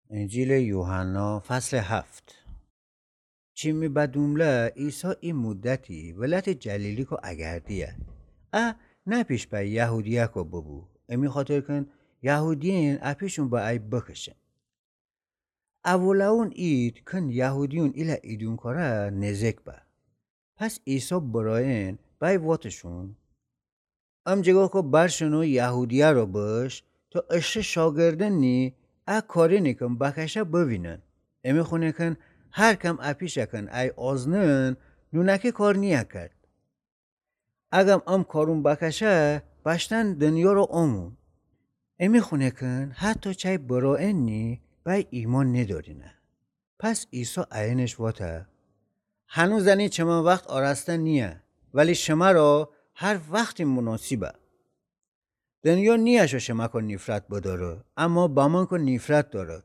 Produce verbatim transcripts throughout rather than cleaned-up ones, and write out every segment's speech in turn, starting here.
انجیلٚ یوحنا، فصلٚ هفت. چی می بدومله عیسی ای مدتی ولایتٚ جلیلیکو اگردیه. ا نه پیش به یهودیه‌کو ببو، امی خاطر کن یهودیین اپیشون به ای بکشن. اولاون عید کن یهودیون ایله ایدون کره نزک به. پس عیسی برایین بای واتشون: امجگاکو برشنو یهودیه‌رو بش، تا اشته شاگردنی ا کارینی کن بکشه بوینن. امی خونه کن هر کم اپیشه کن ای آزنن، نونکی کار نیه کرد. اگم ام کارون بکشه، بشتن دنیارو آمون. امی خونه کن حتی چی برایین نی بای ایمان ندارینه. پس عیسی اینش واته: هنوزنی چمن وخت آراسته نیه، ولی شمرا هر وختی مناسبه. دنیا نیه شو شمکو نیفرت بداره، اما بمنکو نیفرت داره.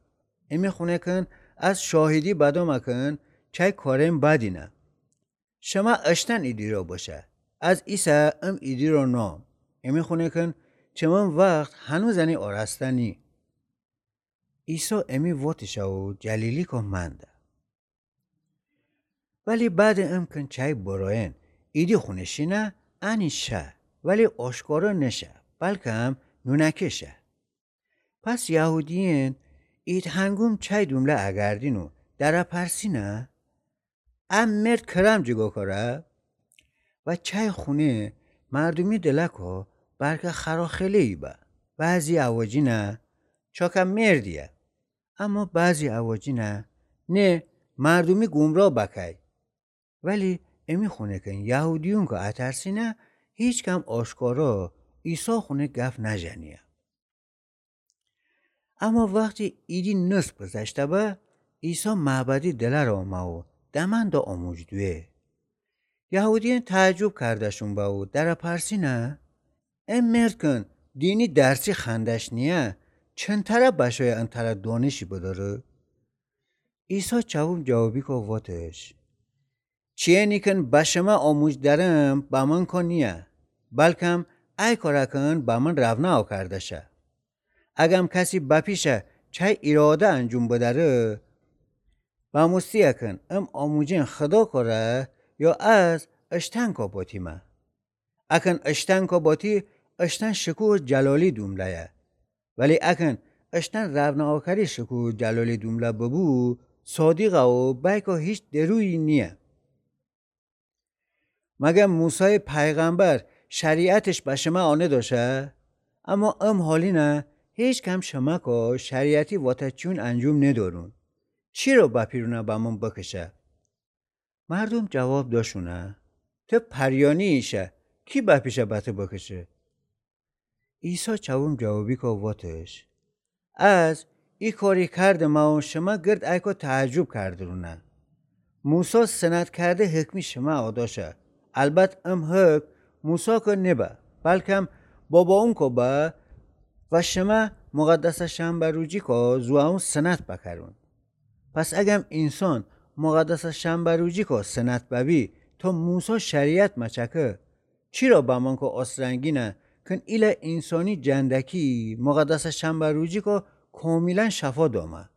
امی خونه کن از شاهدی بدامه کن چی کارین بدینه. شمه اشتن ایدیرا بشه، از ایسه ام ایدیرا نام. امی خونه کن چمن وخت هنوزنی آراسته نی. عیسی امی واتشه و جلیلیکو منده. ولی بعدٚ ام کن چی برایین ایدی خونه شینه، انی شه، ولی آشکارا نشه، بلکم نونکی شه. پس یهودیین عید هنگوم چی دومله اگردین و دره پرسینه: ا مرد کرم جگاکو ره؟ و چی خونه مردومی دلکو برکه خراخیله‌یی به. بعضی اواجینه: چاکه مردیه. اما بعضی اواجینه: نه، مردومی گمرا بکی. ولی امی خونه کن یهودیونکو اترسینه، هیچکم آشکارا عیسی خونه گف نژنیه. اما وختی عیدی نصف گذشته به، عیسی معبدی دلر آمه و دمنده آموج دویه. یهودیین تعجب کرده‌شون به و دره پرسینه: ا مرد کن دینی درسی خوندش نیه، چنتره بشایه انتره دانشی بداره؟ عیسی چوم جوابیکو واتش: چی‌یعنی کن به شمه آموج درم بمنکو نیه، بلکم ای کاره کن بمن روانه آکرده شه. اگم کسی بپیشه چی ایراده انجوم بداره، بموستی‌یه کن ام آموجین خداکو ره یا از اشتنکو باتیمه. اکن اشتنکو باتی، اشتن شکوه جلالی دومله‌یه. ولی اکن اشتن روانه آکری شکوه جلالی دومله ببو، صادقه و بیکو هیچ درویی نیه. مگم موسی پیغمبر شریعتش به شمه آنه داشه؟ اما امحالینه هیچکم شمکو شریعتی واتچیون انجوم ندارون. چیرا بپیرونه بمن بکشه؟ مردوم جواب داشونه: ته پریانی ایشه، کی بپیشه بته بکشه؟ عیسی چوم جوابیکو واتش: از ای کاری کردمه و شمه گرد ایکو تعجب کردرونه. موسی سند کرده حکمی شمه آداشه. البت ام حکم موسی‌کو نبه، بلکم باباونکو به و شمه مقدسٚ شنبه روجیکو زوئون سند بکرون. پس اگم اینسان مقدسٚ شنبه روجیکو سند ببی، تا موسی شریعت مچکه، چیرا بمنکو آسترنگینه کن ایله اینسانی جندکی مقدسٚ شنبه روجیکو کاملا شفا دامه؟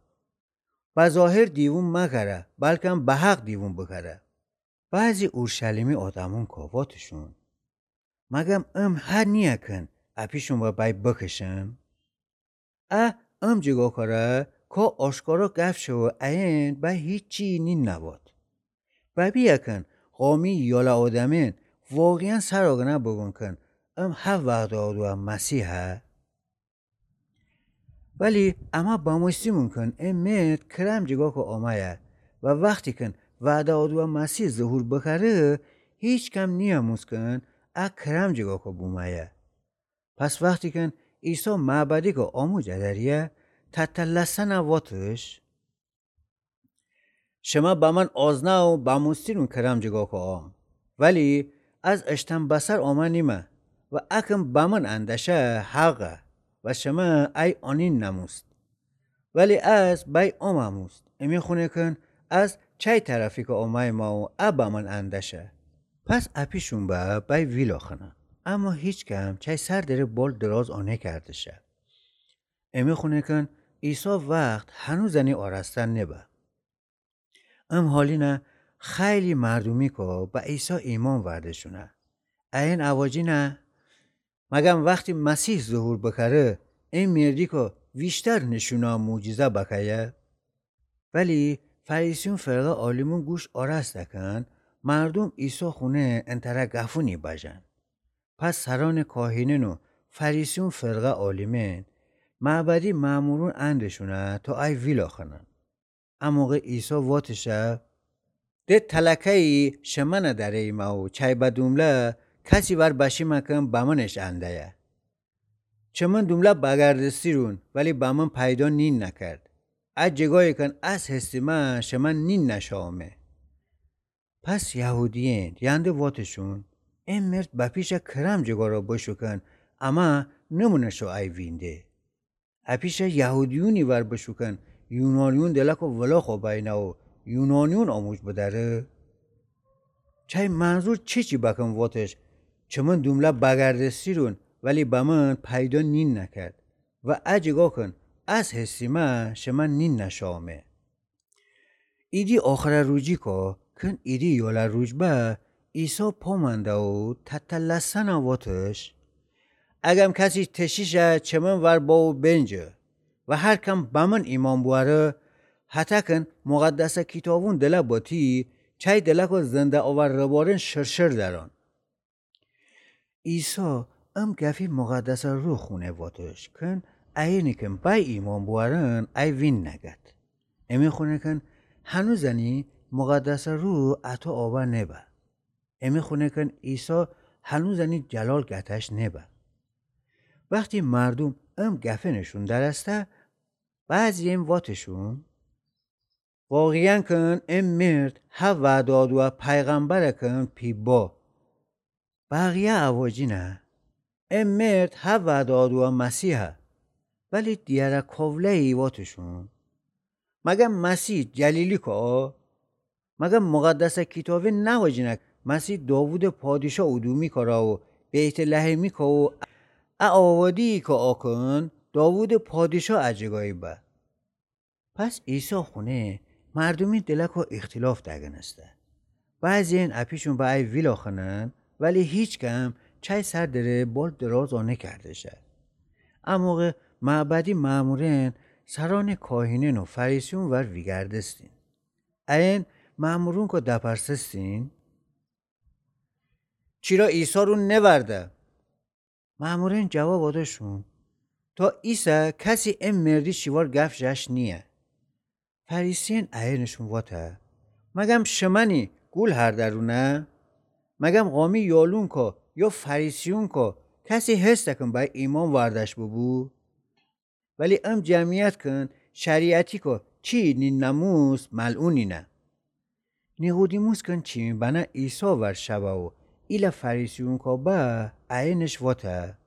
به ظاهر دیوون مکره، بلکم به حق دیوون بکره. بعضی اورشلیمی آدمونکو واتشون: مگم ام حد نیه کن اپیشون به بی بکشم؟ ا ام جیگاکو ره کا آشکارا گپ شه و عین بی هیچی نینواد. ببی اکن قومی یاله آدمین واقعا سر آگنه بگون کن ام هه وعده آدوه مسیحه. ولی امه بموستیمون کن ا مرد کرم جیگاکو آمه‌یه و وختی کن وعده آدوه مسیح ظهور بکره، هیچکم نیاموز کن ا کرم جیگاکو بومه‌یه. پس وختی کن عیسی معبدیکو آموج ادریه، تتلسنه واتش: شمه بمن آزنه و بموستیرون کرم جیگاکو آم، ولی از اشتن بسر آمه نیمه و اکن بمن اندشه حقه و شمه ای آنین نموست. ولی از بی آمموست، امی خونه کن از چی طرفیکو آمه‌یمه و ا بمن اندشه. پس اپیشون به بی ویلاخنه، اما هیچکم چی سر دره بال دراز آنکردشه. امی خونه کن عیسی وخت هنوزنی آراسته نبه. ام حالی نه خیلی مردومی کو به عیسی ایمأن ورده‌شونه. ایین اواجینه، مگم وختی مسیح ظهور بکره، ای مردی کو ویشتر نشونه معجزه بکه‌یه؟ ولی فریسیون فرقه عالیمون گوش آراسته کن، مردوم عیسی خونه انتره گفونی بجن. پس سرأن کاهینأن و فریسیون فرقه عالیمأن، معبدی مأمورون اندشونه تا ای ویلا خنن. ا موقع عیسی واتشه، ده تلکه‌یی شمنه دریمه و چای بدومله کسی ور بشیمه کن بمنش انده‌یه. چمن دومله بگردستیرون ولی بمن پیدا نین نکرد. ا جگایی کن اس هستیمه شمن نین نشاومه. پس یهودیأن ینده واتشون، ا مرد بپیشه کرم جگارا بشوکن، اما نمونشو ای وینده. اپیشه یهودیونی ور بشوکن، یونانیون دلکو ولاخو بینه و یونانیون آموج بدأره؟ چای منظور چیچی بکن واتش، چمن دومله بگردستیرون ولی بمن پیدا نین نکرد و ا جگا کن اس هستیمه شمن نین نشاومه. ایدی آخره روجی کو کن ایدی یاله روج به، عیسی پامنده و تتلسنه واتش، اگم کسی تشیشه چمن ور با و بنجه و هر کم بمن ایمأن بوأره، هتکن مقدسه کیتابون دله باتی، چای دلکو زنده آور ربارن شرشر دران. عیسی ام گفی مقدسه روح خونه واتش کن، ایینی کن بای ایمأن بوأرن ای وین نگد. امی خونه کن هنوزنی مقدسه روح اطو آوا نبه. امی خونه کن عیسی هنوزنی جلال گتش نبه. وختی مردوم ام گفنشون درسته، بعضی‌یم واتشون، واقعاً کن ام مرد ها وعده‌دوه پیغمبر کن پی با. بقیه اواجینه، ام مرد ها وعده‌دوه مسیحه. ولی دیره کوله‌یی واتشون، مگم مسیح جلیلی کو؟ مگم مقدسه کیتابی نواجینه مسیح داوود پادشاه اودومی کره و بیت‌لحمی کو و ا آوادی کو آکن داوود پادشاه ا جگایی به؟ پس عیسی خونه مردومی دلکو اختلاف دگنسته. بعضی‌ین اپیشون به ای ویلا خنن، ولی هیچکم چای سر دره بال درازا نکردشه. ا موقع معبدی مأمورن سرأن کاهینأن و فریسیون ور ویگردستین. ایین مأمورون کو دپرسستین، چیرا عیسی رو نورده؟ مأمورأن جواب دأدشون، تا ایسه کسی ام مردی شیوار گف جأش نییه. فریسیأن ایینشون واته، مگم شمنی گول هردرونه؟ مگم قامی یالون کو یا فریسیون کو کسی هسته کن بای ایمأن وردأش ببو؟ ولی ام جمعیت کن شریعتی کو چی نینموس ملعونینه. نیقودیموس کن چی بنه عیسی ور شبه و ایله فریسیون کو به ایینش واته،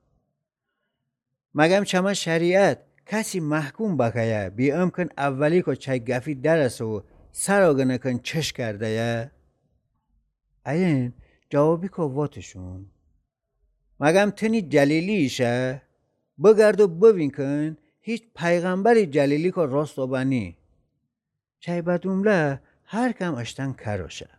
مگم چمه شریعت کسی محکوم بکه‌یه بی ام کن اولی کو چای گفی درسه و سرا گنه کن چش کرده‌یه؟ ایین جوابی کو واتشون، مگم تنی جلیلی ایشه؟ بگرد و ببین کن هیچ پیغمبری جلیلی کو راست و بنی. چای بدومله هر کم اشتن کروشه.